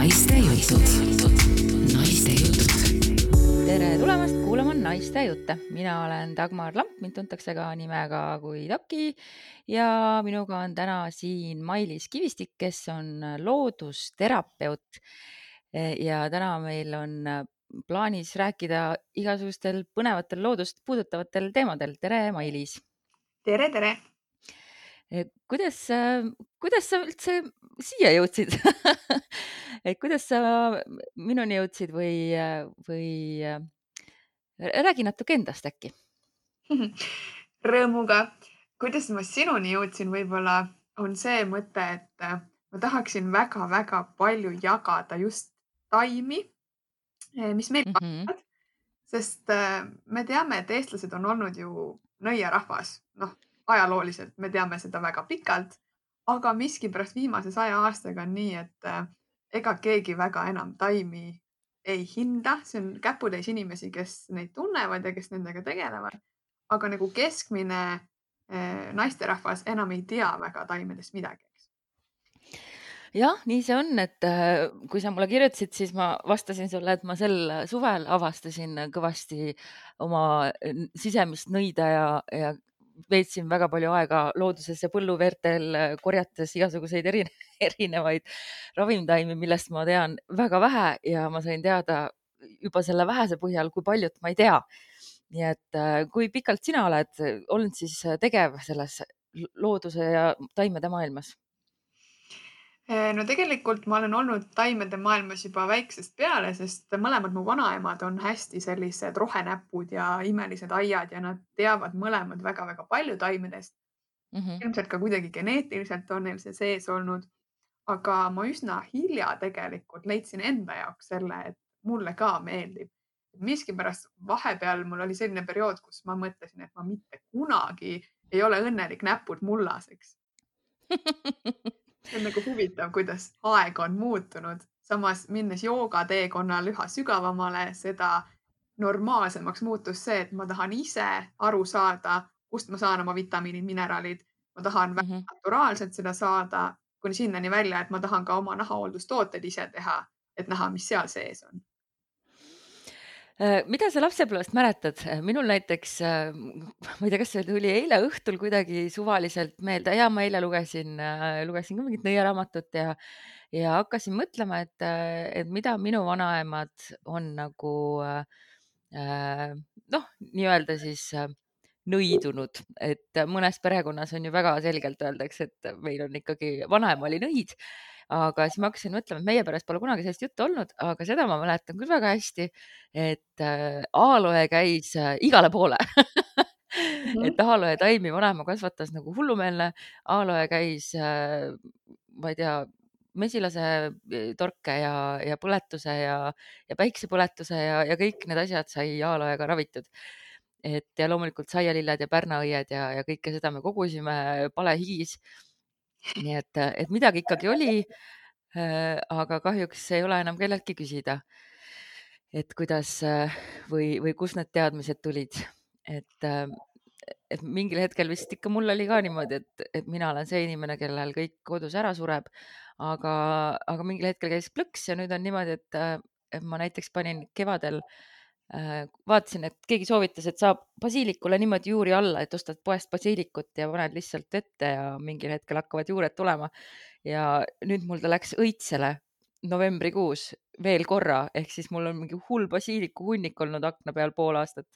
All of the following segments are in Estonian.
naiste jutud. Naiste jutud. Tere tulemast kuulama Naiste jutte. Mina olen Dagmar Lamp, mind tuntakse ka nimega kui Taki ja minuga on täna siin Mailis Kivistik, kes on loodusterapeut. Ja täna meil on plaanis rääkida igasugustel põnevatel loodust puudutavatel teemadel. Tere, Mailis! Tere, tere! Kuidas sa üldse siia jõudsid? Kuidas sa minuni jõudsid või räägi natuke endast äkki? Rõõmuga. Kuidas ma sinuni jõudsin, võib-olla on see mõte, et ma tahaksin väga-väga palju jagada just taimi, mis meil kasvavad, sest me teame, et eestlased on olnud ju nõiarahvas. Ajalooliselt me teame seda väga pikalt, aga miskipärast viimase 100 aastaga on nii, et ega keegi väga enam taimi ei hinda. See on käputäis inimesi, kes neid tunnevad ja kes nendega tegelevad. Aga nagu keskmine naisterahvas enam ei tea väga taimedest midagi. Jah, nii see on, et kui sa mulle kirjutasid, siis ma vastasin sulle, et ma sel suvel avastasin kõvasti oma sisemist nõida ja veetsin väga palju aega looduses ja põlluveertel korjates igasuguseid erinevaid ravimtaimi, millest ma tean väga vähe ja ma sain teada juba selle vähese põhjal, kui paljut ma ei tea. Nii et kui pikalt sina oled olnud siis tegev selles looduse ja taimede maailmas? No tegelikult ma olen olnud taimede maailmas juba väiksest peale, sest mõlemad mu vanaemad on hästi sellised rohenäpud ja imelised aiad ja nad teavad mõlemad väga-väga palju taimedest. Ilmselt ka kuidagi geneetiliselt on neil see sees olnud, aga ma üsna hilja tegelikult leidsin enda jaoks selle, et mulle ka meeldib. Miskipärast vahepeal mul oli selline periood, kus ma mõtlesin, et ma mitte kunagi ei ole õnnelik näpud mullaseks. See on nagu huvitav, kuidas aeg on muutunud. Samas minnes joogateekonnal üha sügavamale, seda normaalsemaks muutus see, et ma tahan ise aru saada, kust ma saan oma vitamiinid, mineraalid. Ma tahan väga naturaalselt seda saada, kuni sinnani välja, et ma tahan ka oma nahahooldustooted ise teha, et näha, mis seal sees on. Mida sa lapsepõlvest mäletad? Minul näiteks, ma ei tea, kas see tuli eile õhtul kuidagi suvaliselt meelde ja ma eile lugesin ka mingit nõiaraamatut ja hakkasin mõtlema, et mida minu vanaemad on nagu nii-öelda siis nõidunud, et mõnes perekonnas on ju väga selgelt öeldakse, et meil on ikkagi vanaema oli nõid. Aga siis ma hakkasin mõtlema, et meie peres pole kunagi sellist juttu olnud, aga seda ma mäletan küll väga hästi, et aaloe käis igale poole. Et aaloe taimi vanaema kasvatas nagu hullumeelne. Aaloe käis, ma ei tea, mesilase torke ja põletuse ja päiksepõletuse ja kõik need asjad sai aaloega ravitud. Ja loomulikult saialilled ja pärnaõied ja kõike seda me kogusime palehigis. Nii et midagi ikkagi oli, aga kahjuks ei ole enam kelleltki küsida, et kuidas või kus need teadmised tulid. Et mingil hetkel vist ikka mul oli ka niimoodi, et mina olen see inimene, kellel kõik kodus ära sureb, aga mingil hetkel käis plõks ja nüüd on niimoodi, et ma näiteks panin kevadel vaatasin, et keegi soovitas, et saab basiilikule niimoodi juuri alla, et ostad poest basiilikut ja paned lihtsalt ette ja mingil hetkel hakkavad juured tulema. Ja nüüd mul ta läks õitsele novembrikuus veel korra, ehk siis mul on mingi hull basiiliku hunnik olnud akna peal pool aastat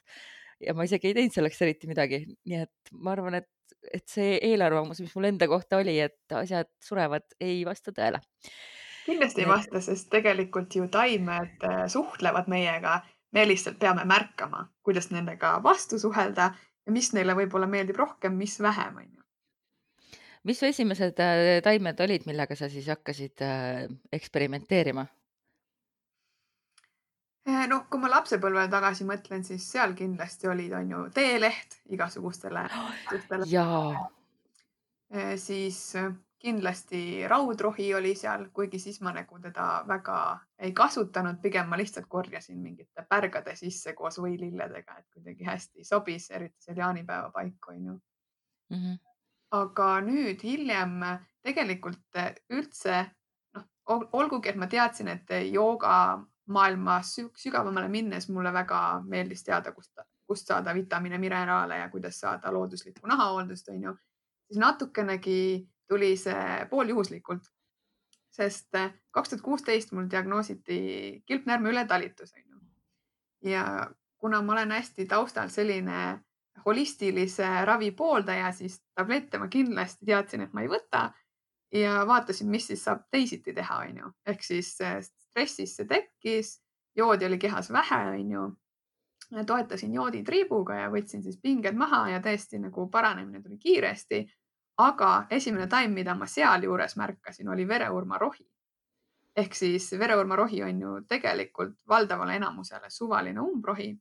ja ma isegi ei teinud selleks eriti midagi. Nii et ma arvan, et see eelarvamus, mis mul enda kohta oli, et asjad surevad, ei vasta tõele. Kindlasti ei vasta, sest tegelikult ju taimed suhtlevad meiega. Me lihtsalt peame märkama, kuidas nendega vastu suhelda ja mis neile võib-olla meeldib rohkem, mis vähem. Mis su esimesed taimed olid, millega sa siis hakkasid eksperimenteerima? Kui ma lapsepõlvele tagasi mõtlen, siis seal kindlasti olid ju teeleht igasugustele. Jaa. Siis kindlasti raudrohi oli seal, kuigi siis ma nagu teda väga ei kasutanud, pigem ma lihtsalt korjasin mingite pärgade sisse koos võililledega, et kuidagi hästi sobis, eriti seal jaanipäeva paiku. Aga nüüd hiljem tegelikult üldse olgugi, et ma teadsin, et jooga maailmas sügavamale minnes mulle väga meeldis teada, kust saada vitamiine, mineraale ja kuidas saada looduslikku nahahooldust, on ju, siis natukenegi tuli see pooljuhuslikult, sest 2016 mul diagnoositi kilpnäärme ületalitus, on ju. Ja kuna ma olen hästi taustalt selline holistilise ravi pooldaja, siis tablette ma kindlasti teadsin, et ma ei võta ja vaatasin, mis siis saab teisiti teha, on ju. Ehk siis stressis see tekkis, joodi oli kehas vähe, on ju. Toetasin jooditriibuga ja võtsin siis pinged maha ja tõesti nagu paranemine tuli kiiresti. Aga esimene taim, mida ma sealjuures märkasin, oli vereurmarohi. Ehk siis vereurmarohi on ju tegelikult valdavale enamusele suvaline umbrohi.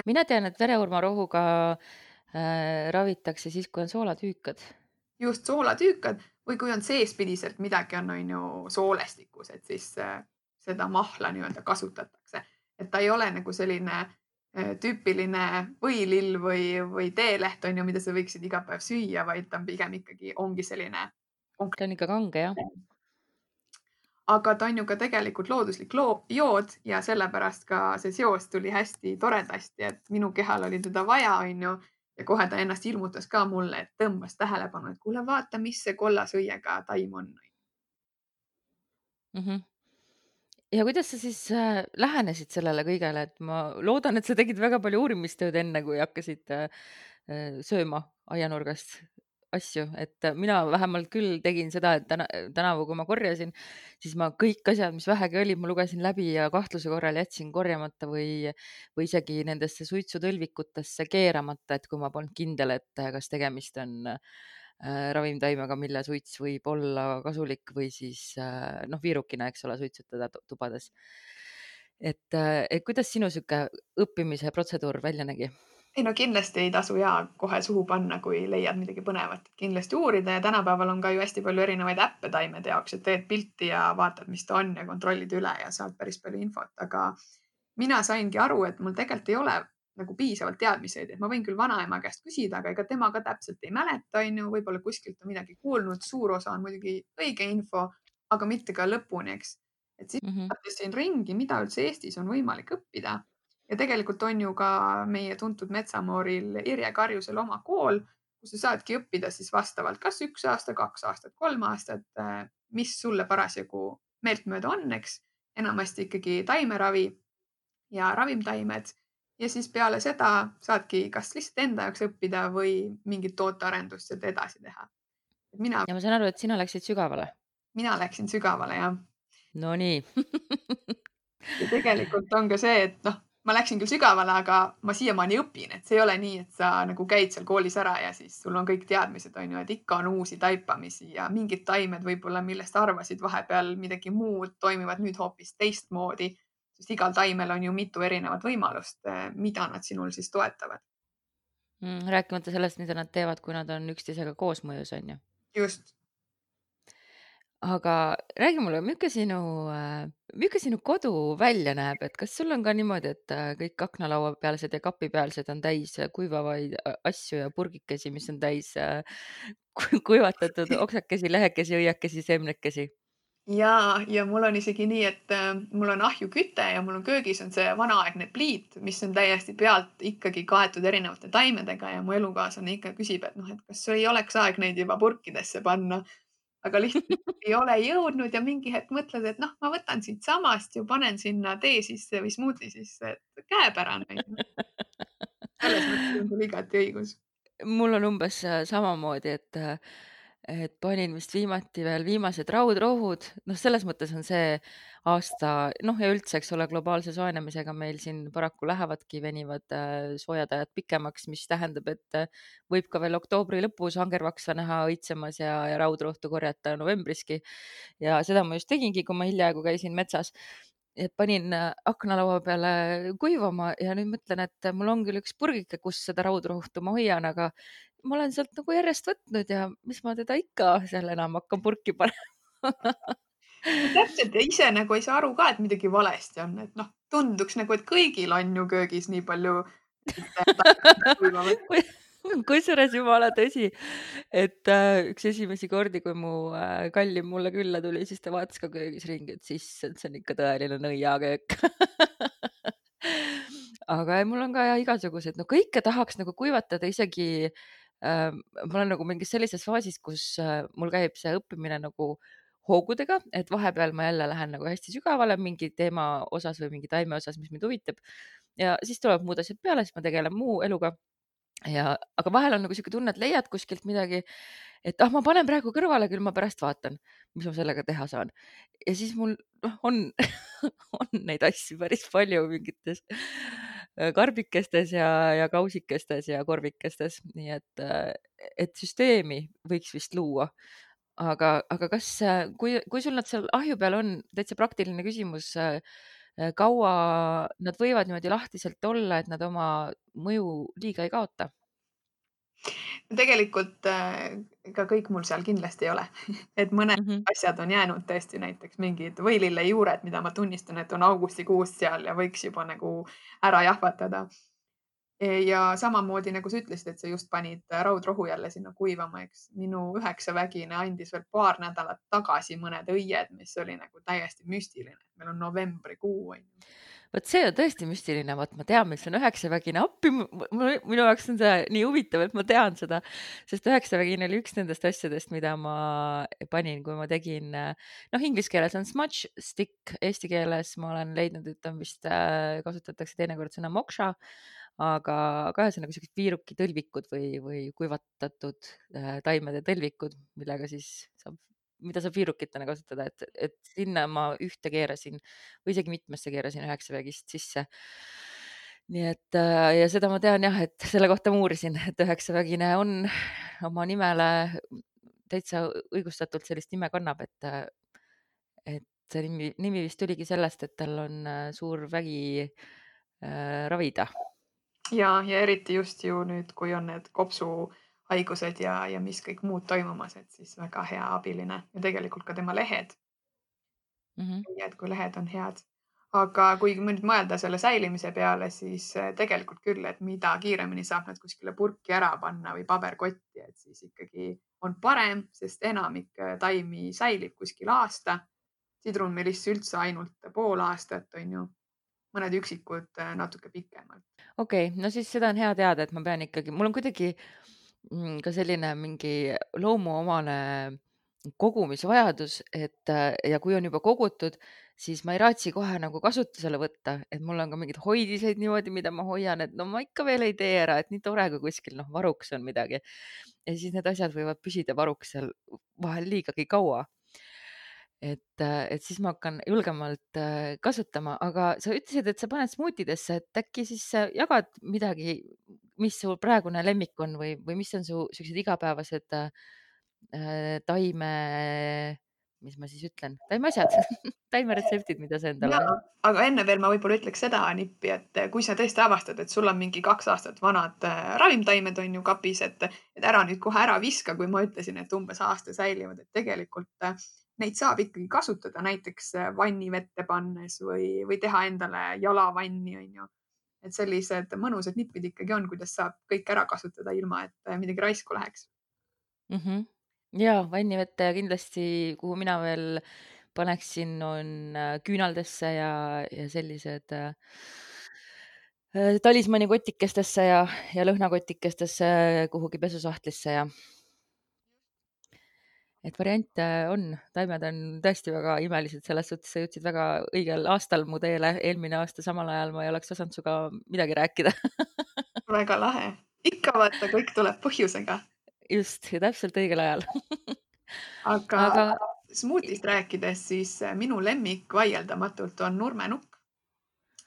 mina tean, et vereurmarohuga ravitakse siis, kui on soolatüükad. Just soolatüükad või kui on seespidiselt midagi on ju soolestikus, et siis seda mahla nii-öelda kasutatakse. Et ta ei ole nagu selline tüüpiline võilill või teeleht on ju, mida sa võiksid iga päev süüa, vaid ta on pigem ikkagi ongi selline. Ta on ikka kange, jah. Aga ta on ju ka tegelikult looduslik jood ja sellepärast ka see seos tuli hästi toredasti, et minu kehal oli teda vaja, on ju. Ja kohe ta ennast ilmutas ka mulle, et tõmbas tähelepanu, et kuule, vaata, mis see kollasõiega taim on. Ja kuidas sa siis lähenesid sellele kõigele, et ma loodan, et sa tegid väga palju uurimistööd enne, kui hakkasid sööma aianurgast asju, et mina vähemalt küll tegin seda, et tänavu, kui ma korjasin, siis ma kõik asjad, mis vähegi olid, ma lugesin läbi ja kahtluse korral jätsin korjamata või isegi nendesse suitsutõlvikutesse keeramata, et kui ma polnud kindel, et kas tegemist on ravimtaimega, mille suits võib olla kasulik või siis viirukina, eks ole, suitsutada tubades. Et kuidas sinu sihuke õppimise protseduur välja nägi? Ei no kindlasti ei tasu kohe suhu panna, kui leiad midagi põnevat, kindlasti uurida ja tänapäeval on ka ju hästi palju erinevaid äppe taimede jaoks, et teed pilti ja vaatad, mis ta on ja kontrollid üle ja saad päris palju infot, aga mina saingi aru, et mul tegelikult ei ole nagu piisavalt teadmiseid, et ma võin küll vanaema käest küsida, aga ega tema ka täpselt ei mäleta, on ju, võib-olla kuskilt on midagi kuulnud, suur osa on muidugi õige info, aga mitte ka lõpuni, eks. Et siis vaatasin ringi, mida üldse Eestis on võimalik õppida. Ja tegelikult on ju ka meie tuntud metsamooril Irje Karjusel oma kool, kus sa saadki õppida siis vastavalt kas 1 aasta, 2 aastat, 3 aastat, mis sulle parasjagu meeltmööda on, eks. Enamasti ikkagi taimeravi ja ravimtaimed. Ja siis peale seda saadki kas lihtsalt enda jaoks õppida või mingit tootearendust sealt edasi teha. Ja ma saan aru, et sina läksid sügavale. Mina läksin sügavale, jah. No nii. Ja tegelikult on ka see, et ma läksin küll sügavale, aga ma siiamaani õpin, et see ei ole nii, et sa nagu käid seal koolis ära ja siis sul on kõik teadmised, on ju, et ikka on uusi taipamisi ja mingid taimed võib-olla, millest arvasid vahepeal midagi muud, toimivad nüüd hoopis teistmoodi, sest igal taimel on ju mitu erinevat võimalust, mida nad sinul siis toetavad. Rääkimata sellest, mida nad teevad, kui nad on üksteisega koosmõjus, on ju. Just. Aga räägi mulle, milline sinu kodu välja näeb, et kas sul on ka niimoodi, et kõik aknalauapealsed ja kapipealsed on täis kuivavaid asju ja purgikesi, mis on täis kuivatatud oksakesi, lehekesi, õiekesi, seemnekesi? Ja mul on isegi nii, et mul on ahjuküte ja mul on köögis on see vanaaegne pliit, mis on täiesti pealt ikkagi kaetud erinevate taimedega ja mu elukaaslane ikka küsib, et et kas ei oleks aeg neid juba purkidesse panna. Aga lihtsalt ei ole jõudnud ja mingi hetk mõtled, et ma võtan siit samast ja panen sinna tee sisse või smuuti sisse, et käepärane. Selles mõttes on sul igati õigus. Mul on umbes samamoodi, et panin vist viimati veel viimased raudrohud. Selles mõttes on see aasta, ja üldse, eks ole, globaalse soojenemisega meil siin paraku venivad soojad ajad pikemaks, mis tähendab, et võib ka veel oktoobri lõpus angervaksa näha õitsemas ja raudrohtu korjata novembriski. Ja seda ma just tegingi, kui ma hiljaaegu käisin metsas. Et panin aknalaua peale kuivama ja nüüd mõtlen, et mul on küll üks purgike, kus seda raudrohtu ma hoian, aga ma olen sealt nagu järjest võtnud ja mis ma teda ikka seal enam hakkan purki panema. Täpselt ja ise nagu ei saa aru ka, et midagi valesti on, et tunduks nagu, et kõigil on ju köögis nii palju. kusjuures jumala tõsi, et üks esimesi kordi, kui mu kallim mulle külla tuli, siis ta vaatas ka köögis ringi, et see on ikka tõeline nõiaköök. aga ei, mul on ka igasugused, no kõike tahaks nagu kuivatada, isegi ma olen nagu mingis sellises faasis, kus mul käib see õppimine nagu hoogudega, et vahepeal ma jälle lähen nagu hästi sügavale mingi teema osas või mingi taime osas, mis mind huvitab. ja siis tulevad muud asjad peale, siis ma tegelen muu eluga. aga vahel on nagu siuke tunne, et leiad kuskilt midagi, et ma panen praegu kõrvale, küll ma pärast vaatan, mis ma sellega teha saan. ja siis mul on on neid asju päris palju mingites karbikestes ja kausikestes ja korvikestes, nii et süsteemi võiks vist luua. aga kas, kui sul nad seal ahju peal on, täitsa praktiline küsimus, kaua nad võivad niimoodi lahtiselt olla, et nad oma mõju liiga ei kaota? tegelikult ega kõik mul seal kindlasti ei ole, et mõned asjad on jäänud tõesti, näiteks mingid võilillejuured, mida ma tunnistan, et on augustikuust seal ja võiks juba nagu ära jahvatada. ja samamoodi nagu sa ütlesid, et sa just panid raudrohu jälle sinna kuivama, eks minu 9-vägine andis veel paar nädalat tagasi mõned õied, mis oli nagu täiesti müstiline. meil on novembrikuu on ju. vot see on tõesti müstiline, vot ma tean, mis on 9-vägine appi, minu jaoks on see nii huvitav, et ma tean seda, sest 9-vägine oli üks nendest asjadest, mida ma panin, kui ma tegin, noh, inglise keeles on smudge stick, eesti keeles ma olen leidnud, et on vist kasutatakse teinekord sõna moksha, aga ühesõnaga sellised viirukitõlvikud või kuivatatud taimede tõlvikud, mida saab viirukitena kasutada, et sinna ma ühte keerasin või isegi mitmesse keerasin 9-vägist sisse. nii et ja seda ma tean jah, et selle kohta ma uurisin, et 9-vägine on oma nimele täitsa õigustatult sellist nime kannab, et see nimi vist tuligi sellest, et tal on suur vägi ravida. ja eriti just ju nüüd, kui on need kopsuhaigused ja mis kõik muud toimumas, et siis väga hea abiline ja tegelikult ka tema lehed. nii et kui lehed on head, aga kui nüüd mõelda selle säilimise peale, siis tegelikult küll, et mida kiiremini saab nad kuskile purki ära panna või paberkotti, et siis ikkagi on parem, sest enamik taimi säilib kuskil aasta. sidrunmeliss üldse ainult pool aastat on ju, mõned üksikud natuke pikemalt. okei, no siis seda on hea teada, et ma pean ikkagi, mul on kuidagi ka selline mingi loomuomane kogumisvajadus, et ja kui on juba kogutud, siis ma ei raatsi kohe nagu kasutusele võtta, et mul on ka mingeid hoidiseid niimoodi, mida ma hoian, et no ma ikka veel ei tee ära, et nii tore, kui kuskil varuks on midagi. ja siis need asjad võivad püsida varuks seal vahel liigagi kaua. et siis ma hakkan julgemalt kasutama, aga sa ütlesid, et sa paned smuutidesse, et äkki siis jagad midagi, mis sul praegune lemmik on või mis on su sellised igapäevased taime, mis ma siis ütlen, taimeasjad taimeretseptid, mida sa endale. aga enne veel ma võib-olla ütleks seda nippi, et kui sa tõesti avastad, et sul on mingi 2 aastat vanad ravimtaimed on ju kapis, et ära nüüd kohe ära viska, kui ma ütlesin, et umbes aasta säilivad, et tegelikult neid saab ikkagi kasutada näiteks vannivette pannes või teha endale jalavanni on ju. et sellised mõnusad nipid ikkagi on, kuidas saab kõik ära kasutada, ilma et midagi raisku läheks. ja vannivette kindlasti, kuhu mina veel paneksin, on küünaldesse ja sellised talismani kotikestesse ja lõhnakotikestesse kuhugi pesusahtlisse ja et variante on, taimed on tõesti väga imelised, selles suhtes sa jõudsid väga õigel aastal mu teele, eelmine aasta samal ajal ma ei oleks osanud sinuga midagi rääkida. väga lahe, ikka vaata, kõik tuleb põhjusega. just, ja täpselt õigel ajal. aga smuutist rääkides, siis minu lemmik vaieldamatult on nurmenukk.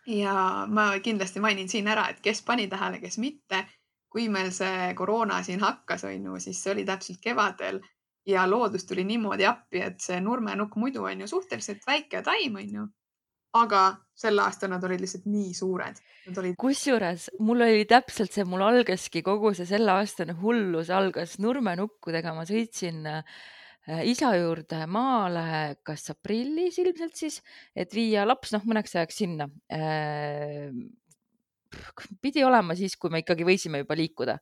ja ma kindlasti mainin siin ära, et kes pani tähele, kes mitte. kui meil see koroona siin hakkas, on ju, siis see oli täpselt kevadel ja loodus tuli niimoodi appi, et see nurmenukk muidu on ju suhteliselt väike taim, on ju. aga sel aastal nad olid lihtsalt nii suured. kusjuures mul oli täpselt see, mul algaski kogu see selleaastane hullus algas nurmenukkudega. ma sõitsin isa juurde maale, kas aprillis ilmselt siis, et viia laps mõneks ajaks sinna pidi olema siis, kui me ikkagi võisime juba liikuda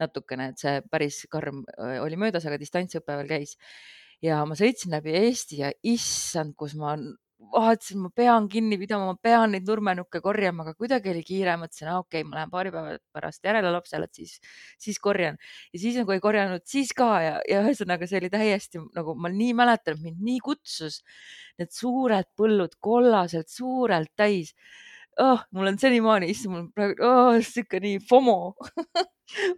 natukene, et see päris karm oli möödas, aga distantsõpe veel käis. Ja ma sõitsin läbi Eesti ja issand, kus ma vaatasin, ma pean kinni pidama, ma pean neid nurmenukke korjama, aga kuidagi oli kiire, mõtlesin, okei, ma lähen paari päeva pärast järele lapsele, et siis korjan. Ja siis nagu ei korjanud siis ka ja ühesõnaga see oli täiesti nagu ma nii mäletan, et mind nii kutsus need suured põllud kollaselt suurelt täis. Mul on senimaani, issand, mul praegu siuke nii FOMO.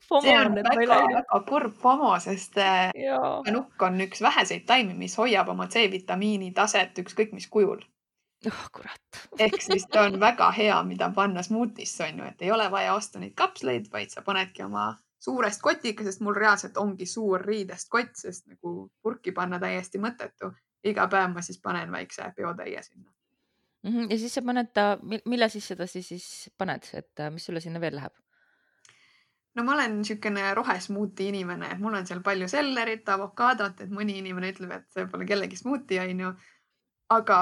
FOMO See on on, et ma ei läinud. väga kurb FOMO, sest Jaa. nukk on üks väheseid taimi, mis hoiab oma C-vitamiini taset ükskõik mis kujul. Kurat. Ehk siis ta on väga hea, mida panna smuutisse, on ju, et ei ole vaja osta neid kapsleid, vaid sa panedki oma suurest kotikesest, mul reaalselt ongi suur riidest kott, sest nagu purki panna täiesti mõttetu. Iga päev ma siis panen väikse peotäie sinna. Ja siis sa paned ta, mille siis seda siis paned, et mis sulle sinna veel läheb? No ma olen niisugune rohesmuuti inimene, et mul on seal palju sellerit, avokaadot, et mõni inimene ütleb, et see pole kellegi smuuti, on ju. Aga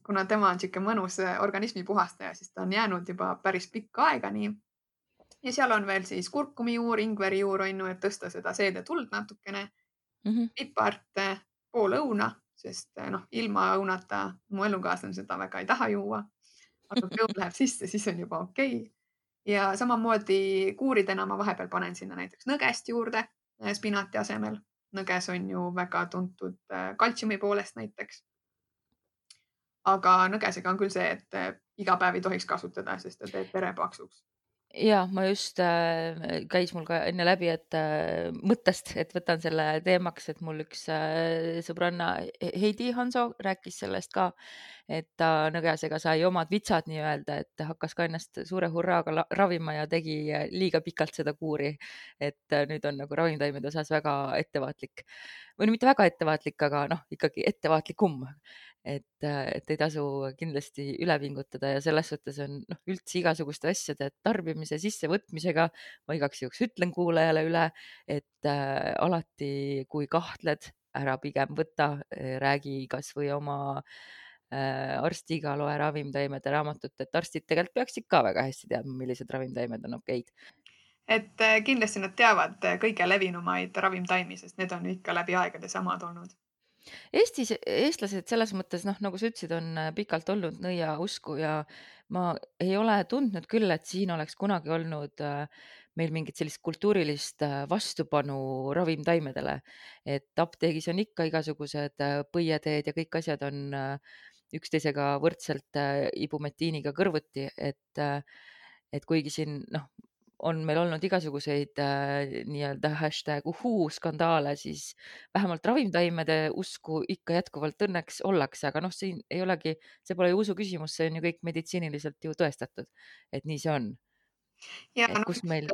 kuna tema on niisugune mõnus organismi puhastaja, siis ta on jäänud juba päris pikka aega nii. Ja seal on veel siis kurkumijuur, ingverijuur, on ju, et tõsta seda seedetuld natukene. Pipart, pool õuna, sest ilma õunata mu elukaaslane seda väga ei taha juua. Aga kui õun läheb sisse, siis on juba okei. Ja samamoodi kuuridena ma vahepeal panen sinna näiteks nõgest juurde spinati asemel. Nõges on ju väga tuntud kaltsiumi poolest näiteks. Aga nõgesega on küll see, et iga päev ei tohiks kasutada, sest ta teeb vere paksuks. Ja ma just käis mul ka enne läbi, et mõttest, et võtan selle teemaks, et mul üks sõbranna Heidi Hanso rääkis sellest ka, et ta nõgesega sai omad vitsad nii-öelda, et hakkas ka ennast suure hurraaga ravima ja tegi liiga pikalt seda kuuri. Et nüüd on nagu ravimtaimede osas väga ettevaatlik või mitte väga ettevaatlik, aga ikkagi ettevaatlikum. Et ei tasu kindlasti üle pingutada ja selles suhtes on üldse igasuguste asjade tarbimise sissevõtmisega. Ma igaks juhuks ütlen kuulajale üle, et alati, kui kahtled, ära pigem võta, räägi kas või oma arstiga, loe ravimtaimede raamatut, et arstid tegelikult peaksid ka väga hästi teadma, millised ravimtaimed on okeid. Et kindlasti nad teavad kõige levinumaid ravimtaimi, sest need on ikka läbi aegade samad olnud. Eestlased selles mõttes, nagu sa ütlesid, on pikalt olnud nõiausku ja ma ei ole tundnud küll, et siin oleks kunagi olnud meil mingit sellist kultuurilist vastupanu ravimtaimedele. Et apteegis on ikka igasugused põieteed ja kõik asjad on üksteisega võrdselt ibumetiiniga kõrvuti, et kuigi siin on meil olnud igasuguseid nii-öelda #uhuu-skandaale, siis vähemalt ravimtaimede usku ikka jätkuvalt õnneks ollakse, aga siin ei olegi, see pole ju usu küsimus, see on ju kõik meditsiiniliselt ju tõestatud, et nii see on. Ja kus meil...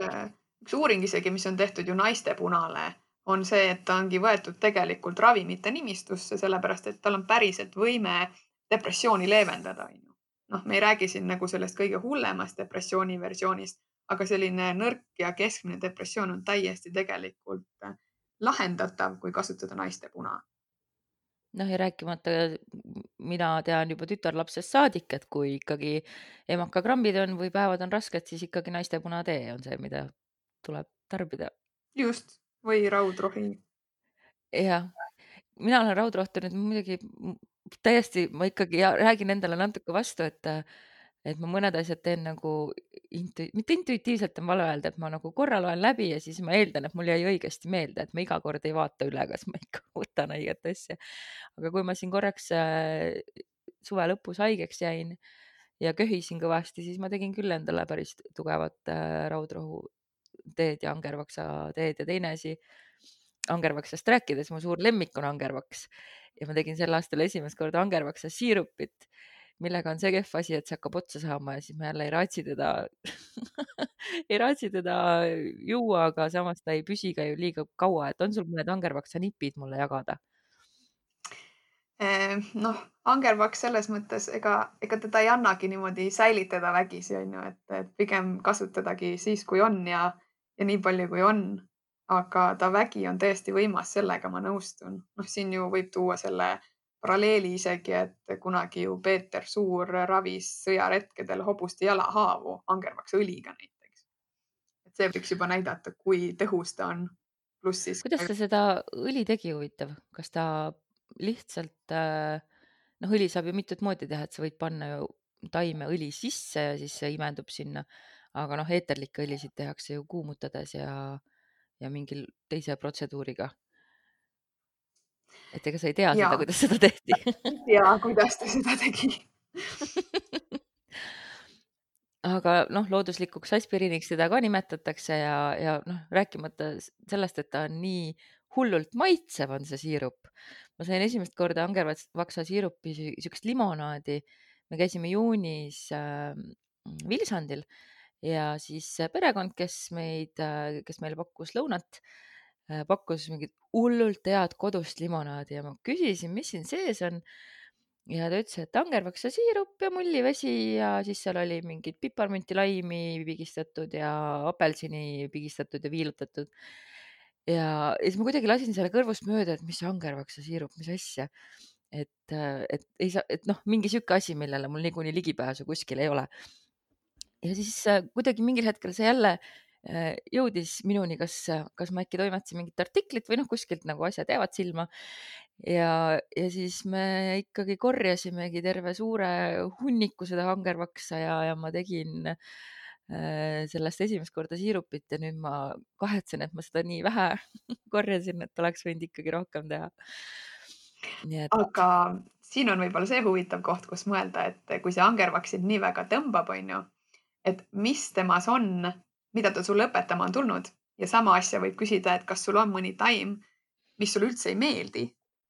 üks uuring isegi, mis on tehtud ju naistepunale, on see, et ta ongi võetud tegelikult ravimite nimistusse, sellepärast et tal on päriselt võime depressiooni leevendada. Me ei räägi siin nagu sellest kõige hullemast depressiooni versioonist, aga selline nõrk ja keskmine depressioon on täiesti tegelikult lahendatav, kui kasutada naistepuna. Ja rääkimata, mina tean juba tütarlapsest saadik, et kui ikkagi emakakrambid on või päevad on rasked, siis ikkagi naistepunatee on see, mida tuleb tarbida. Just, või raudrohi. Jah, mina olen raudrohtu nüüd muidugi täiesti, ma ikkagi räägin endale natuke vastu, et ma mõned asjad teen nagu mitte intuitiivselt on vale öelda, et ma nagu korra loen läbi ja siis ma eeldan, et mul jäi õigesti meelde, et ma iga kord ei vaata üle, kas ma ikka võtan õiget asja. Aga kui ma siin korraks suve lõpus haigeks jäin ja köhisin kõvasti, siis ma tegin küll endale päris tugevat raudrohu teed ja angervaksa teed ja teine asi. Angervaksast rääkides, mu suur lemmik on angervaks ja ma tegin sel aastal esimest korda angervaksa siirupit, millega on see kehv asi, et see hakkab otsa saama ja siis ma jälle ei raatsi teda juua, aga samas ta ei püsi ka ju liiga kaua, et on sul mõned angervaksa nipid mulle jagada? Angervaks selles mõttes, ega teda ei annagi niimoodi säilitada vägisi, on ju, et pigem kasutadagi siis, kui on ja nii palju, kui on. Aga ta vägi on tõesti võimas, sellega ma nõustun. Siin ju võib tuua selle paralleeli isegi, et kunagi ju Peeter Suur ravis sõjaretkedel hobuste jalahaavu angervaksa õliga näiteks. Et see võiks juba näidata, kui tõhus ta on. Pluss siis kuidas ta seda õli tegi, huvitav? Kas ta lihtsalt, noh, õli saab ju mitut moodi teha, et sa võid panna ju taimeõli sisse ja siis see imendub sinna. Aga noh, eeterlikke õlisid tehakse ju kuumutades ja mingil teise protseduuriga. Et ega sa ei tea seda, Jaa. kuidas seda tehti. ja kuidas ta seda tegi. Aga noh, looduslikuks aspiriiniks seda ka nimetatakse ja noh, rääkimata sellest, et ta on nii hullult maitsev, on see siirup. Ma sain esimest korda angervaksa siirupi, siukest limonaadi. Me käisime juunis Vilsandil ja siis perekond, kes meile pakkus lõunat, pakkus mingit hullult head kodust limonaadi ja ma küsisin, mis siin sees on. Ja ta ütles, et angervaksa siirup ja mullivesi ja siis seal oli mingid piparmünti, laimi pigistatud ja apelsini pigistatud ja viilutatud. Ja siis ma kuidagi lasin selle kõrvust mööda, et mis angervaksa siirup, mis asja. Et ei saa, et noh, mingi sihuke asi, millele mul niikuinii ligipääsu kuskil ei ole. Ja siis kuidagi mingil hetkel see jälle jõudis minuni, kas ma äkki toimetasin mingit artiklit või noh, kuskilt nagu asjad jäävad silma. Ja siis me ikkagi korjasimegi terve suure hunniku seda angervaksa ja ma tegin sellest esimest korda siirupit ja nüüd ma kahetsen, et ma seda nii vähe korjasin, et oleks võinud ikkagi rohkem teha. Nii et Aga siin on võib-olla see huvitav koht, kus mõelda, et kui see angervaks sind nii väga tõmbab, on ju, et mis temas on, mida ta sulle õpetama on tulnud ja sama asja võib küsida, et kas sul on mõni taim, mis sulle üldse ei meeldi,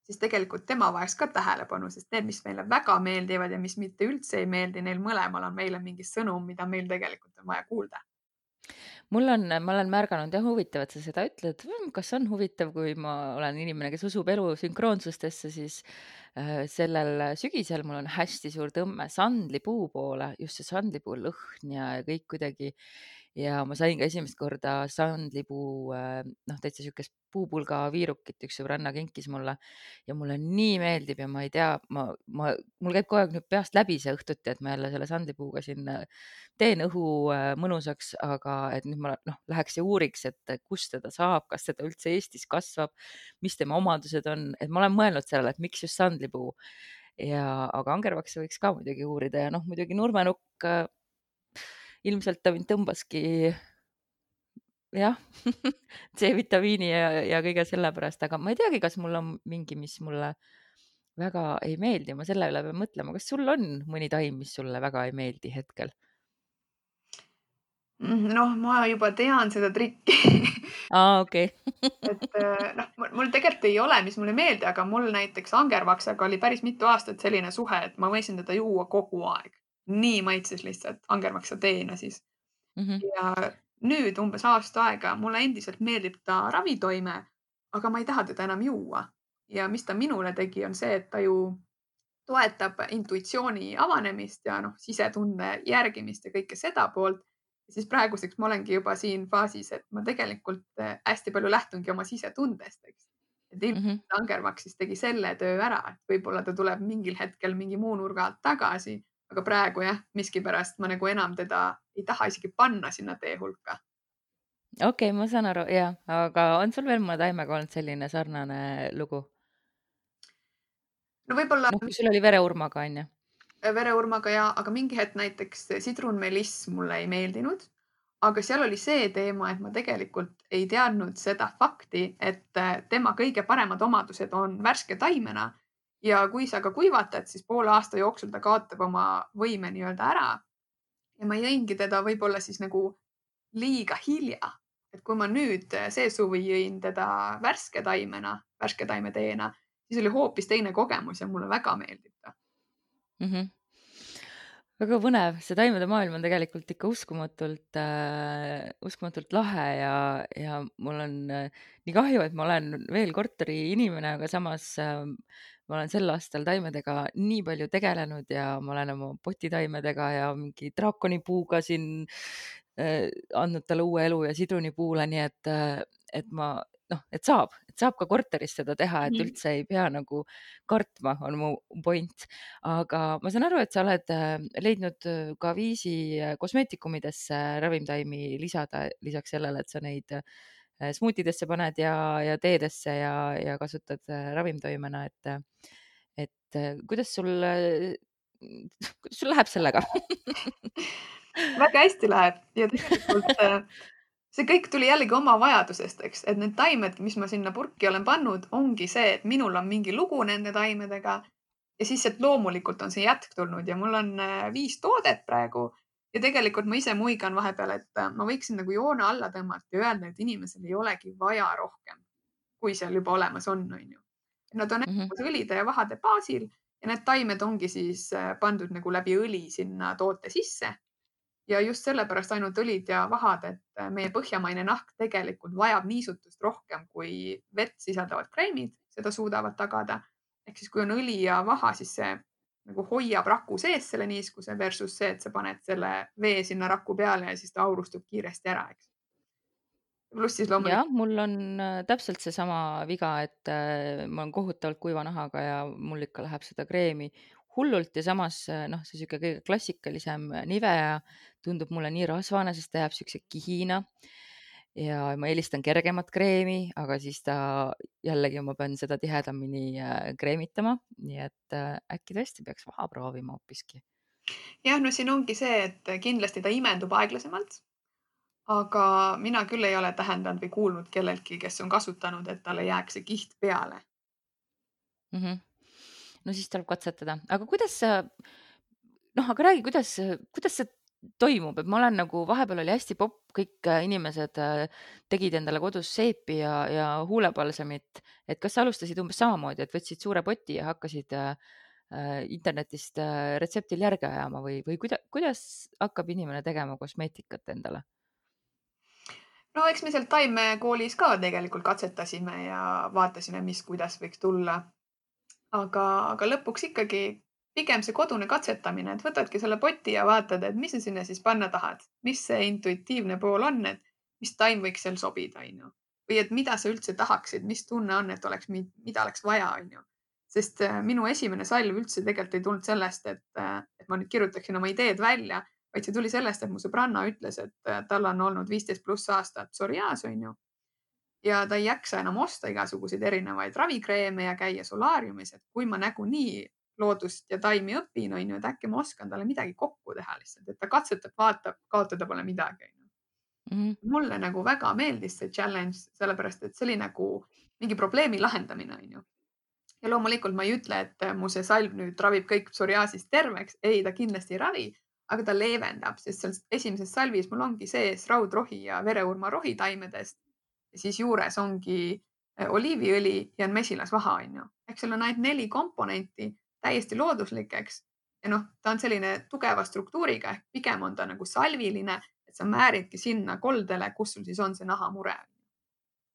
siis tegelikult tema vajaks ka tähelepanu, sest need, mis meile väga meeldivad ja mis mitte üldse ei meeldi, neil mõlemal on meile mingi sõnum, mida meil tegelikult on vaja kuulda. ma olen märganud ja huvitav, et sa seda ütled. Kas on huvitav, kui ma olen inimene, kes usub elu sünkroonsustesse, siis sellel sügisel mul on hästi suur tõmme sandlipuu poole, just see sandlipuu lõhn ja kõik kuidagi. Ja ma sain ka esimest korda sandlipuu, noh, täitsa siukest puupulga viirukit, üks sõbranna kinkis mulle ja mulle nii meeldib ja ma ei tea, mul käib kogu aeg nüüd peast läbi see õhtuti, et ma jälle selle sandlipuuga siin teen õhu mõnusaks, aga et nüüd ma läheks ja uuriks, et kust teda saab, kas teda üldse Eestis kasvab, mis tema omadused on, et ma olen mõelnud sellele, et miks just sandlipuu aga angervaksa võiks ka muidugi uurida ja noh, muidugi nurmenukk, ilmselt ta mind tõmbaski jah, C-vitamiini ja kõige selle pärast, aga ma ei teagi, kas mul on mingi, mis mulle väga ei meeldi, ma selle üle pean mõtlema. Kas sul on mõni taim, mis sulle väga ei meeldi hetkel? Noh, ma juba tean seda trikki. Okei. et noh, mul tegelikult ei ole, mis mulle ei meeldi, aga mul näiteks angervaksaga oli päris mitu aastat selline suhe, et ma võisin teda juua kogu aeg. Nii maitses lihtsalt angervaksa teena siis. Ja nüüd umbes aasta aega mulle endiselt meeldib ta ravitoime, aga ma ei taha teda enam juua. Ja mis ta minule tegi, on see, et ta ju toetab intuitsiooni avanemist ja noh, sisetunde järgimist ja kõike seda poolt. Ja siis praeguseks ma olengi juba siin faasis, et ma tegelikult hästi palju lähtungi oma sisetundest, eks. Et ilmselt angervaks siis tegi selle töö ära, et võib-olla ta tuleb mingil hetkel mingi muu nurga alt tagasi, aga praegu jah, miskipärast ma nagu enam teda ei taha isegi panna sinna tee hulka. Okei, ma saan aru, jah, aga on sul veel mõne taimega olnud selline sarnane lugu? No võib-olla Noh, kui sul oli vereurmaga, on ju? vereurmaga ja, aga mingi hetk näiteks sidrunmeliss mulle ei meeldinud, aga seal oli see teema, et ma tegelikult ei teadnud seda fakti, et tema kõige paremad omadused on värske taimena ja kui sa ka kuivatad, siis poole aasta jooksul ta kaotab oma võime nii-öelda ära. Ja ma jõingi teda võib-olla siis nagu liiga hilja, et kui ma nüüd see suvi jõin teda värske taimena, värske taimeteena, siis oli hoopis teine kogemus ja mulle väga meeldib ta. Väga põnev, see taimede maailm on tegelikult ikka uskumatult lahe ja mul on nii kahju, et ma olen veel korteri inimene, aga samas ma olen sel aastal taimedega nii palju tegelenud ja ma olen oma potitaimedega ja mingi draakonipuuga siin andnud talle uue elu ja sidrunipuule, nii et ma et saab ka korteris seda teha, et üldse ei pea nagu kartma, on mu point. Aga ma saan aru, et sa oled leidnud ka viisi kosmeetikumidesse ravimtaimi lisada, lisaks sellele, et sa neid smuutidesse paned ja teedesse ja kasutad ravimtoimena, et kuidas sul läheb sellega? Väga hästi läheb ja tegelikult see kõik tuli jällegi oma vajadusest, eks, et need taimed, mis ma sinna purki olen pannud, ongi see, et minul on mingi lugu nende taimedega ja siis sealt loomulikult on see jätk tulnud ja mul on 5 toodet praegu ja tegelikult ma ise muigan vahepeal, et ma võiksin nagu joone alla tõmmata ja öelda, et inimesel ei olegi vaja rohkem, kui seal juba olemas on ju. Nad on õlide ja vahade baasil ja need taimed ongi siis pandud nagu läbi õli sinna toote sisse. Ja just sellepärast ainult õlid ja vahad, et meie põhjamaine nahk tegelikult vajab niisutust rohkem kui vett sisaldavad kreemid seda suudavad tagada. Ehk siis kui on õli ja vaha, siis see nagu hoiab raku sees selle niiskuse versus see, et sa paned selle vee sinna raku peale ja siis ta aurustub kiiresti ära, eks. Pluss siis loomulikult. Jah, mul on täpselt seesama viga, et ma olen kohutavalt kuiva nahaga ja mul ikka läheb seda kreemi hullult ja samas see sihuke kõige klassikalisem Nivea tundub mulle nii rasvane, sest ta jääb siukse kihina ja ma eelistan kergemat kreemi, aga siis ta jällegi ma pean seda tihedamini kreemitama, nii et äkki tõesti peaks vaha proovima hoopiski. Jah, no siin ongi see, et kindlasti ta imendub aeglasemalt. Aga mina küll ei ole tähendanud või kuulnud kelleltki, kes on kasutanud, et talle jääks see kiht peale. No siis tuleb katsetada, aga kuidas sa, aga räägi, kuidas see toimub, et ma olen nagu, vahepeal oli hästi popp, kõik inimesed tegid endale kodus seepi ja huulepalsamit, et kas sa alustasid umbes samamoodi, et võtsid suure poti ja hakkasid internetist retseptil järge ajama või kuidas hakkab inimene tegema kosmeetikat endale? No eks me seal taimekoolis ka tegelikult katsetasime ja vaatasime, kuidas võiks tulla. Aga lõpuks ikkagi pigem see kodune katsetamine, et võtadki selle poti ja vaatad, et mis sa sinna siis panna tahad, mis see intuitiivne pool on, et mis taim võiks seal sobida, on ju. Või et mida sa üldse tahaksid, mis tunne on, et oleks, mida oleks vaja, on ju. Sest minu esimene salv üldse tegelikult ei tulnud sellest, et ma nüüd kirjutaksin oma ideed välja, vaid see tuli sellest, et mu sõbranna ütles, et tal on olnud 15+ aastat psoriaas, on ju. Ja ta ei jaksa enam osta igasuguseid erinevaid ravikreeme ja käia solaariumis, et kui ma nagunii loodust ja taimi õpin, on ju, et äkki ma oskan talle midagi kokku teha lihtsalt, et ta katsetab, vaatab, kaotada pole midagi. Mulle nagu väga meeldis see challenge, sellepärast et see oli nagu mingi probleemi lahendamine, on ju. Ja loomulikult ma ei ütle, et mu see salv nüüd ravib kõik psoriaasist terveks. Ei, ta kindlasti ei ravi, aga ta leevendab, sest seal esimeses salvis mul ongi sees raudrohi ja vereurmarohi taimedest. Ja siis juures ongi oliiviõli ja mesilasvaha, on ju. Ehk seal on ainult 4 komponenti täiesti looduslikeks. Ja ta on selline tugeva struktuuriga, ehk pigem on ta nagu salviline, et sa määridki sinna koldele, kus sul siis on see nahamure.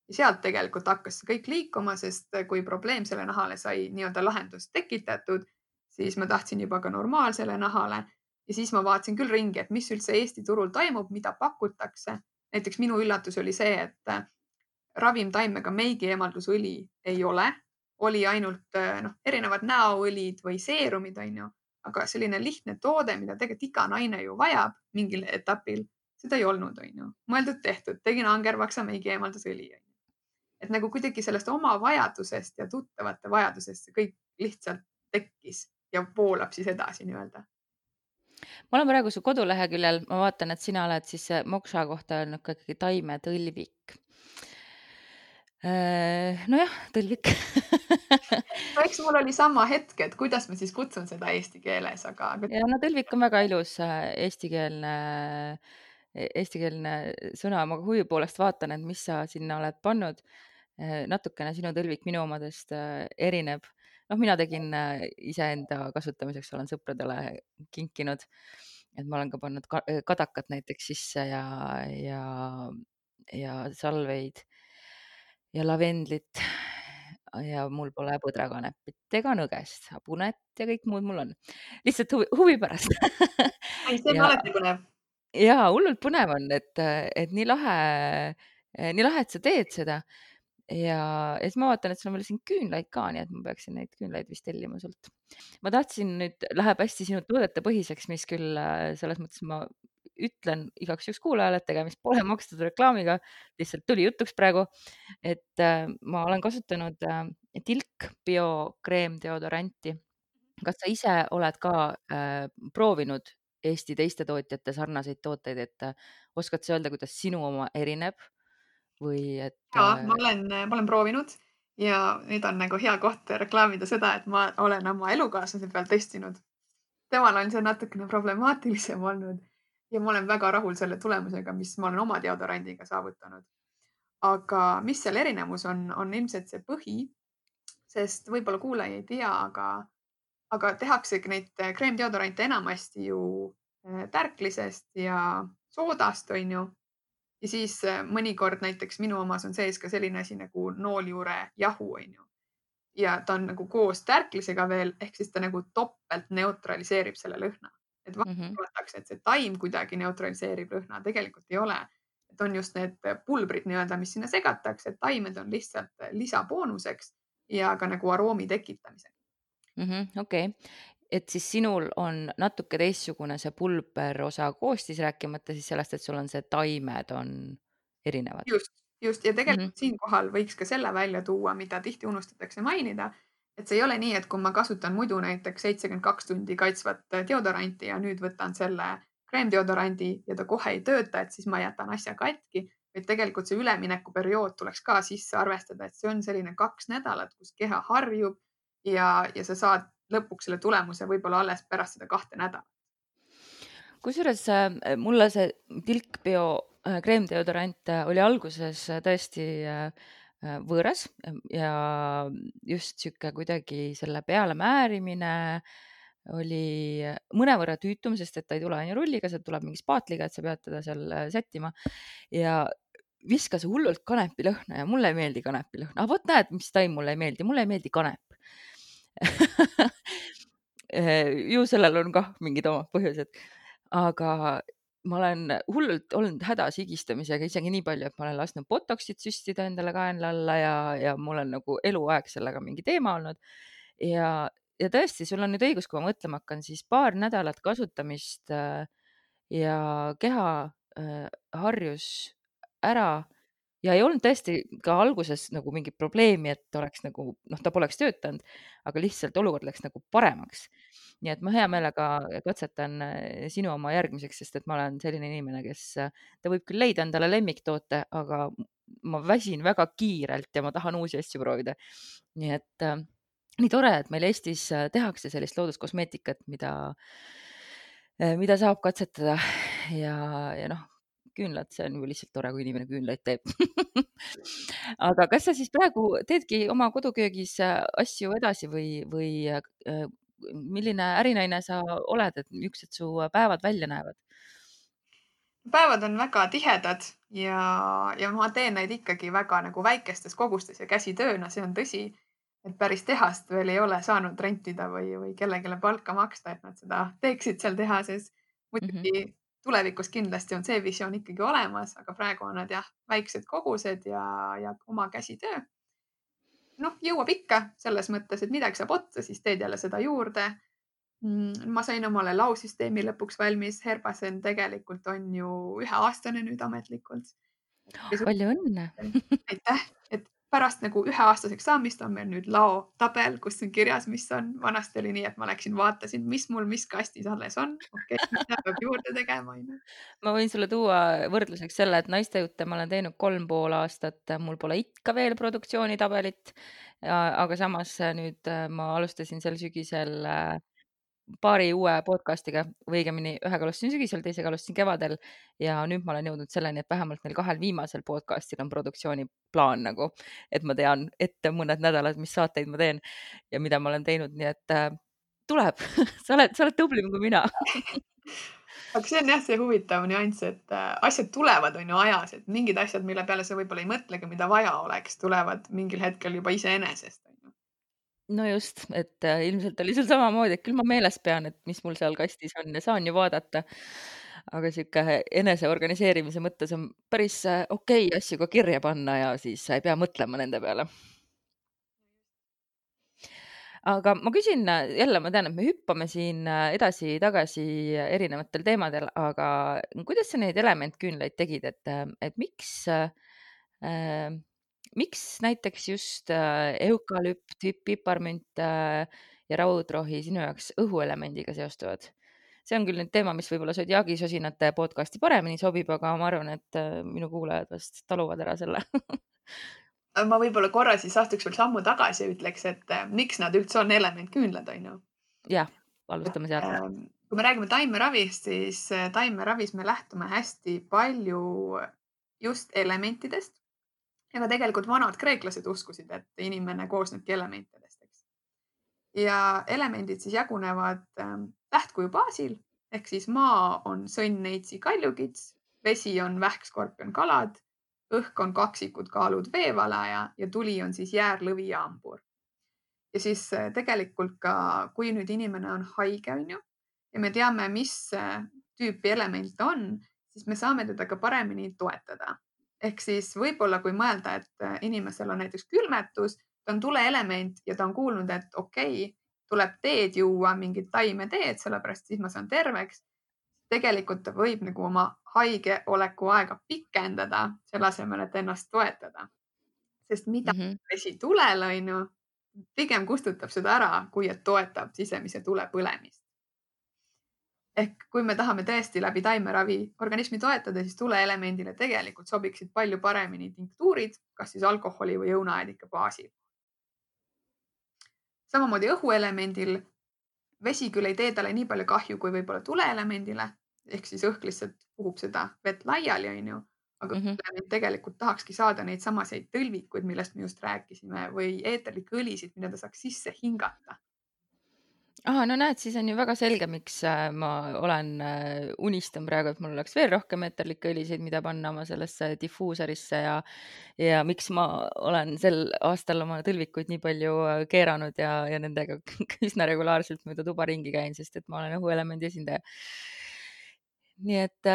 Ja sealt tegelikult hakkas see kõik liikuma, sest kui probleem selle nahale sai nii-öelda lahendust tekitatud, siis ma tahtsin juba ka normaalsele nahale ja siis ma vaatasin küll ringi, et mis üldse Eesti turul toimub, mida pakutakse. Näiteks minu üllatus oli see, et ravimtaimega meigieemaldusõli ei ole, oli ainult erinevad näoõlid või seerumid, on ju, aga selline lihtne toode, mida tegelikult iga naine ju vajab mingil etapil, seda ei olnud, on ju. Mõeldud tehtud, tegin angervaksa meigieemaldusõli. Et nagu kuidagi sellest oma vajadusest ja tuttavate vajadusest see kõik lihtsalt tekkis ja voolab siis edasi nii-öelda. Ma olen praegu su koduleheküljel, ma vaatan, et sina oled siis moksa kohta öelnud ka ikkagi taimetõlvik. Nojah, tõlvik. No eks mul oli sama hetk, et kuidas ma siis kutsun seda eesti keeles, aga. Ja no tõlvik on väga ilus eestikeelne sõna, ma huvi poolest vaatan, et mis sa sinna oled pannud. Natukene sinu tõlvik minu omadest erineb. Mina tegin iseenda kasutamiseks, olen sõpradele kinkinud, et ma olen ka pannud kadakat näiteks sisse ja salveid ja lavendlit ja mul pole põdrakanepit ega nõgest, hapunet ja kõik muud mul on. Lihtsalt huvi pärast. Ei, see on alati põnev. Jaa, hullult põnev on, et nii lahe, et sa teed seda. ja siis ma vaatan, et sul on veel siin küünlaid ka, nii et ma peaksin neid küünlaid vist tellima sult. Ma tahtsin nüüd, läheb hästi sinu toodete põhiseks, mis küll selles mõttes ma ütlen igaks juhuks kuulajale, et tegemist pole makstud reklaamiga, lihtsalt tuli jutuks praegu, et ma olen kasutanud Tilk Bio kreemdeodoranti. Kas sa ise oled ka proovinud Eesti teiste tootjate sarnaseid tooteid, et oskad sa öelda, kuidas sinu oma erineb või et Ja ma olen proovinud ja nüüd on nagu hea koht reklaamida seda, et ma olen oma elukaaslase peal testinud. Temal on see natukene problemaatilisem olnud ja ma olen väga rahul selle tulemusega, mis ma olen oma deodorandiga saavutanud. Aga mis seal erinevus on ilmselt see põhi, sest võib-olla kuulaja ei tea, aga tehaksegi neid kreemdeodorante enamasti ju tärklisest ja soodast, on ju. Ja siis mõnikord näiteks minu omas on sees ka selline asi nagu nooljuure jahu, on ju. Ja ta on nagu koos tärklisega veel, ehk siis ta nagu topelt neutraliseerib selle lõhna. Et arvatakse, et see taim kuidagi neutraliseerib lõhna, tegelikult ei ole. Et on just need pulbrid nii-öelda, mis sinna segatakse, et taimed on lihtsalt lisaboonuseks ja ka nagu aroomi tekitamiseks. Okei. Et siis sinul on natuke teistsugune see pulber osa koostis, rääkimata siis sellest, et sul on see taimed on erinevad. Just. Ja tegelikult siinkohal võiks ka selle välja tuua, mida tihti unustatakse mainida, et see ei ole nii, et kui ma kasutan muidu näiteks 72 tundi kaitsvat deodoranti ja nüüd võtan selle kreemdeodorandi ja ta kohe ei tööta, et siis ma jätan asja katki, vaid tegelikult see üleminekuperiood tuleks ka sisse arvestada, et see on selline 2 nädalat, kus keha harjub ja sa saad lõpuks selle tulemuse võib-olla alles pärast seda 2 nädalat. Kusjuures mulle see Tilk Bio kreemdeodorant oli alguses tõesti võõras ja just sihuke kuidagi selle peale määrimine oli mõnevõrra tüütum, sest et ta ei tule ainult rulliga, see tuleb mingi spaatliga, et sa pead teda seal sättima ja viskas hullult kanepilõhna ja mulle ei meeldi kanepilõhna. Vot näed, mis taim mulle ei meeldi kanep. Ju sellel on kah mingid omad põhjused, aga ma olen hullult olnud hädas higistamisega isegi nii palju, et ma olen lasknud botoxit süstida endale kaenla alla ja mul on nagu eluaeg sellega mingi teema olnud. Ja tõesti, sul on nüüd õigus, kui ma mõtlema hakkan, siis paar nädalat kasutamist ja keha harjus ära ja ei olnud tõesti ka alguses nagu mingit probleemi, et oleks nagu, ta poleks töötanud, aga lihtsalt olukord läks nagu paremaks. Nii et ma hea meelega katsetan sinu oma järgmiseks, sest et ma olen selline inimene, kes, ta võib küll leida endale lemmiktoote, aga ma väsin väga kiirelt ja ma tahan uusi asju proovida. Nii et nii tore, et meil Eestis tehakse sellist looduskosmeetikat, mida saab katsetada ja küünlad, see on ju lihtsalt tore, kui inimene küünlaid teeb. Aga kas sa siis praegu teedki oma koduköögis asju edasi või milline ärinaine sa oled, et niisugused su päevad välja näevad? Päevad on väga tihedad ja ma teen neid ikkagi väga nagu väikestes kogustes ja käsitööna, see on tõsi, et päris tehast veel ei ole saanud rentida või kellegile palka maksta, et nad seda teeksid seal tehases. Muidugi tulevikus kindlasti on see visioon ikkagi olemas, aga praegu on nad jah, väiksed kogused ja oma käsitöö. Jõuab ikka selles mõttes, et midagi saab otsa, siis teed jälle seda juurde. Ma sain omale lausüsteemi lõpuks valmis. Herbasen tegelikult on ju 1-aastane nüüd ametlikult. Palju õnne! Aitäh! Et pärast nagu 1-aastaseks saamist on meil nüüd laotabel, kus on kirjas, mis on. Vanasti oli nii, et ma läksin, vaatasin, mis mul mis kastis alles on. Okei, mida peab juurde tegema. Ma võin sulle tuua võrdluseks selle, et naistejutte ma olen teinud 3,5 aastat. Mul pole ikka veel produktsioonitabelit, aga samas nüüd ma alustasin sel sügisel paari uue podcastiga, või õigemini ühega alustasin sügisel, teisega alustasin kevadel ja nüüd ma olen jõudnud selleni, et vähemalt neil 2 viimasel podcastil on produktsiooniplaan nagu, et ma tean ette mõned nädalad, mis saateid ma teen ja mida ma olen teinud, nii et tuleb, sa oled tublim kui mina. Aga see on jah, see huvitav nüanss, et asjad tulevad on ju ajas, et mingid asjad, mille peale sa võib-olla ei mõtlegi, mida vaja oleks, tulevad mingil hetkel juba iseenesest. No just, et ilmselt oli sul samamoodi, et küll ma meeles pean, et mis mul seal kastis on ja saan ju vaadata. aga sihuke enese organiseerimise mõttes on päris okei asju ka kirja panna ja siis sa ei pea mõtlema nende peale. Aga ma küsin jälle, ma tean, et me hüppame siin edasi-tagasi erinevatel teemadel, aga kuidas sa neid elementküünlaid tegid, et miks näiteks just eukalüpt, piparmünt ja raudrohi sinu jaoks õhuelemendiga seostuvad? See on küll nüüd teema, mis võib-olla Zodiaagi sosinate podcasti paremini sobib, aga ma arvan, et minu kuulajad vast taluvad ära selle. Ma võib-olla korra siis astuks veel sammu tagasi ja ütleks, et miks nad üldse on elementküünlad, on ju. Jah, alustame sealt. Kui me räägime taimeravist, siis taimeravis me lähtume hästi palju just elementidest. Ja ka tegelikult vanad kreeklased uskusid, et inimene koosnebki elementidest, eks. Ja elemendid siis jagunevad tähtkuju baasil ehk siis maa on sõnn, neitsi, kaljukits, vesi on vähk, skorpion, kalad, õhk on kaksikud, kaalud, veevala ja tuli on siis jäär, lõvi ja hambur. Ja siis tegelikult ka, kui nüüd inimene on haige, on ju, ja me teame, mis tüüpi element on, siis me saame teda ka paremini toetada. Ehk siis võib-olla, kui mõelda, et inimesel on näiteks külmetus, ta on tuleelement ja ta on kuulnud, et okei, tuleb teed juua, mingit taimeteed, sellepärast siis ma saan terveks. Tegelikult ta võib nagu oma haigeoleku aega pikendada, selle asemel, et ennast toetada. Sest mida vesi tulel, on ju, pigem kustutab seda ära, kui et toetab sisemise tule põlemist. Ehk kui me tahame tõesti läbi taimeravi organismi toetada, siis tuleelemendile tegelikult sobiksid palju paremini tinktuurid, kas siis alkoholi või õunaedika baasil. Samamoodi õhuelemendil vesi küll ei tee talle nii palju kahju kui võib-olla tuleelemendile, ehk siis õhk lihtsalt puhub seda vett laiali, on ju, aga element tegelikult tahakski saada neid samaseid tõlvikuid, millest me just rääkisime, või eeterlikke õlisid, mida ta saaks sisse hingata. Aha, no näed, siis on ju väga selge, miks ma unistan praegu, et mul oleks veel rohkem eeterlikke õlisid, mida panna oma sellesse difuusorisse ja miks ma olen sel aastal oma tõlvikuid nii palju keeranud ja nendega üsna regulaarselt mööda tuba ringi käin, sest et ma olen õhuelemendi esindaja. Nii et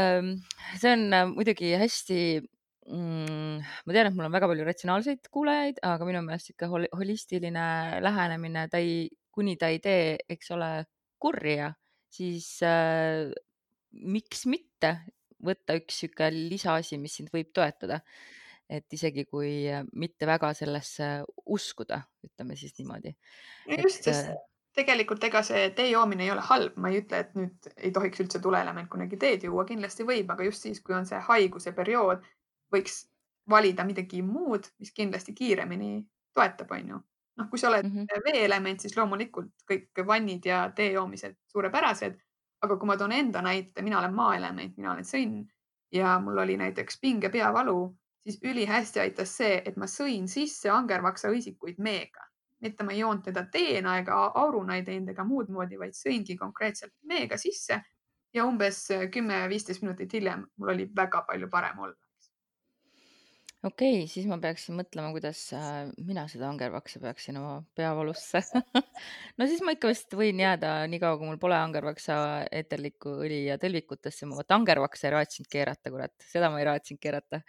see on muidugi hästi, ma tean, et mul on väga palju ratsionaalseid kuulajaid, aga minu meelest ikka holistiline lähenemine, kuni ta ei tee, eks ole, kurja, siis miks mitte võtta üks sihuke lisaasi, mis sind võib toetada. Et isegi kui mitte väga sellesse uskuda, ütleme siis niimoodi. Just, sest tegelikult ega see tee joomine ei ole halb. Ma ei ütle, et nüüd ei tohiks üldse tuleelement kunagi teed juua, kindlasti võib, aga just siis, kui on see haiguse periood, võiks valida midagi muud, mis kindlasti kiiremini toetab, on ju. Noh, kui sa oled veeelement, siis loomulikult kõik vannid ja tee joomised suurepärased. Aga kui ma toon enda näite, mina olen maaelement, mina olen sõnn ja mul oli näiteks pinge peavalu, siis ülihästi aitas see, et ma sõin sisse angervaksa õisikuid meega. Mitte ma ei joonud teda teena ega auruna ei teinud ega muud moodi, vaid sõingi konkreetselt meega sisse ja umbes 10-15 minutit hiljem mul oli väga palju parem olla. Okei, siis ma peaksin mõtlema, kuidas mina seda angervaksa peaksin oma peavalusse. No siis ma ikka vist võin jääda nii kaua, kui mul pole angervaksa eeterlikku õli ja tõlvikutesse. Ma angervaksa ei raatsinud keerata, kurat, seda ma ei raatsinud keerata.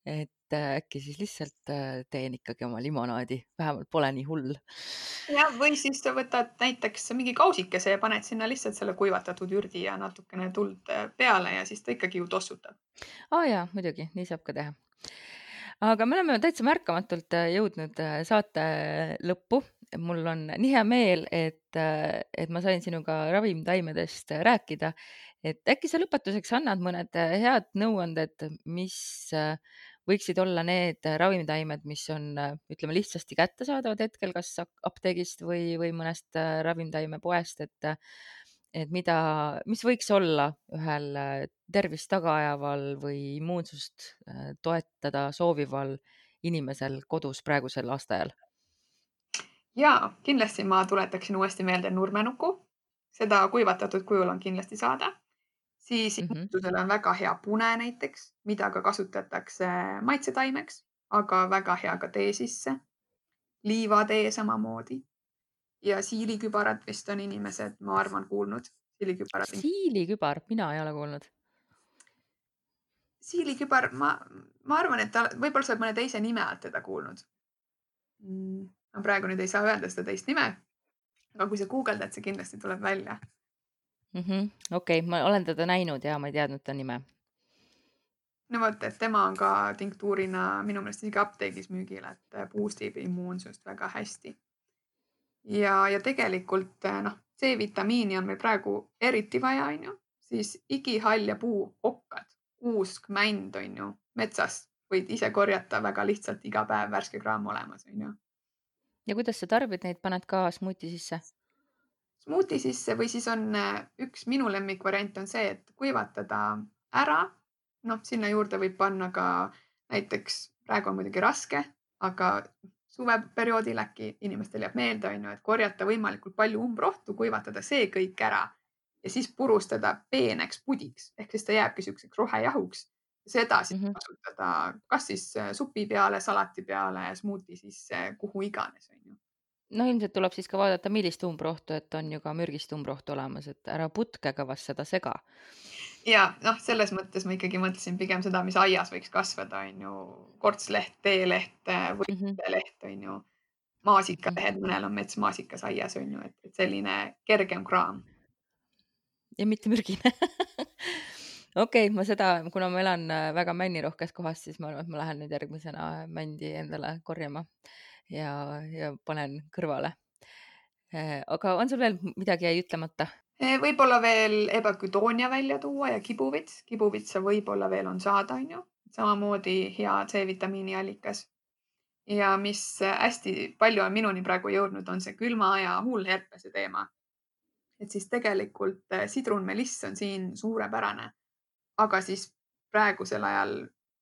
Et äkki siis lihtsalt teen ikkagi oma limonaadi, vähemalt pole nii hull. Ja, või siis sa võtad näiteks mingi kausikese ja paned sinna lihtsalt selle kuivatatud ürdi ja natukene tuld peale ja siis ta ikkagi ju tossutab. Jaa, muidugi, nii saab ka teha. Aga me oleme täitsa märkamatult jõudnud saate lõppu. Mul on nii hea meel, et ma sain sinuga ravimtaimedest rääkida. Et äkki sa lõpetuseks annad mõned head nõuanded, mis võiksid olla need ravimtaimed, mis on, ütleme, lihtsasti kättesaadavad hetkel kas apteegist või mõnest ravimtaimepoest, et mis võiks olla ühel tervist tagaajaval või immuunsust toetada soovival inimesel kodus praegusel aastaajal? Ja kindlasti ma tuletaksin uuesti meelde nurmenuku. Seda kuivatatud kujul on kindlasti saada. Siis immuunsusele on väga hea pune näiteks, mida ka kasutatakse maitsetaimeks, aga väga hea ka tee sisse. Liivatee samamoodi. Ja siilikübarat vist on inimesed, ma arvan, kuulnud siilikübara tinktuur. siilikübar, mina ei ole kuulnud. Siilikübar, ma arvan, et võib-olla sa oled mõne teise nime alt teda kuulnud. Ma praegu nüüd ei saa öelda seda teist nime, aga kui sa guugeldad, see kindlasti tuleb välja. Okei, ma olen teda näinud ja ma ei teadnud ta nime. No vot, et tema on ka tinktuurina minu meelest isegi apteegis müügil, et boostib immuunsust väga hästi. Ja tegelikult C-vitamiini on meil praegu eriti vaja, on ju, siis igihall ja puu, okkad, kuusk, mänd, on ju, metsast võid ise korjata väga lihtsalt iga päev värske kraam olemas, on ju. Ja kuidas sa tarbid neid, paned ka smuuti sisse? Smuuti sisse või siis on üks minu lemmikvariant on see, et kuivatada ära. Sinna juurde võib panna ka näiteks, praegu on muidugi raske, aga suveperioodil äkki inimestel jääb meelde, on ju, et korjata võimalikult palju umbrohtu, kuivatada see kõik ära ja siis purustada peeneks pudiks. Ehk siis ta jääbki selliseks rohejahuks. Seda siis kasutada kas siis supi peale, salati peale, smuuti sisse, kuhu iganes, on ju. No ilmselt tuleb siis ka vaadata, millist umbrohtu, et on ju ka mürgist umbrohtu olemas, et ära putkega vast seda sega. Ja selles mõttes ma ikkagi mõtlesin pigem seda, mis aias võiks kasvada, on ju, kortsleht, teeleht, võitleht, on ju, maasikalehed, mõnel on metsmaasikas aias, on ju, et selline kergem kraam. Ja mitte mürgine. Okei, ma seda, kuna ma elan väga männirohkes kohas, siis ma arvan, et ma lähen nüüd järgmisena mändi endale korjama ja panen kõrvale. Aga on sul veel midagi jäi ütlemata? Võib-olla veel ebaküdoonia välja tuua ja kibuvits. Kibuvitsa võib-olla veel on saada, on ju. Samamoodi hea C-vitamiini allikas. Ja mis hästi palju on minuni praegu jõudnud, on see külma aja huulherpese teema. Et siis tegelikult sidrunmeliss on siin suurepärane. Aga siis praegusel ajal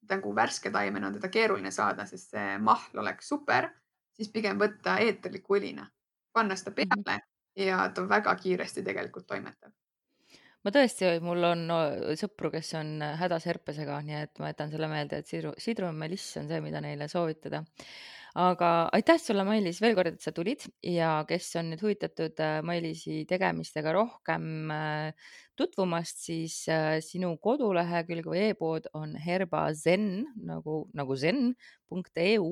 nagu värske taimen on teda keeruline saada, sest see mahl oleks super, siis pigem võtta eeterliku õlina, panna seda peale ja ta väga kiiresti tegelikult toimetab. Ma tõesti, mul on sõpru, kes on hädas herpesega, nii et ma jätan selle meelde, et sidrunmeliss on see, mida neile soovitada. Aga aitäh sulle, Mailis, veel kord, et sa tulid ja kes on nüüd huvitatud Mailisi tegemistega rohkem tutvumast, siis sinu kodulehekülg või e-pood on herbazen, nagu zen.eu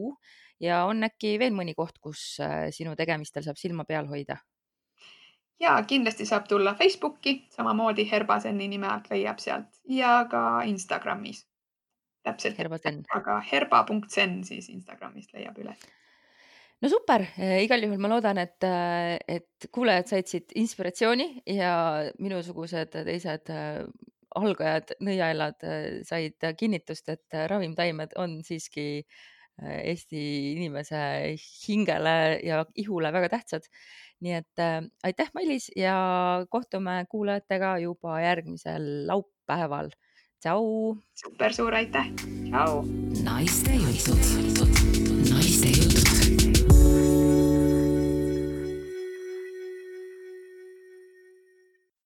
ja on äkki veel mõni koht, kus sinu tegemistel saab silma peal hoida? Ja kindlasti saab tulla Facebooki, samamoodi Herbazeni nime alt leiab sealt ja ka Instagramis. Täpselt, aga herba.zen siis Instagramist leiab üles. No super, igal juhul ma loodan, et kuulajad said siit inspiratsiooni ja minusugused teised algajad, nõiaelad said kinnitust, et ravimtaimed on siiski Eesti inimese hingele ja ihule väga tähtsad. Nii et aitäh, Mailis, ja kohtume kuulajatega juba järgmisel laupäeval. Tšau! Super suur aitäh! Tšau! Naiste jutud.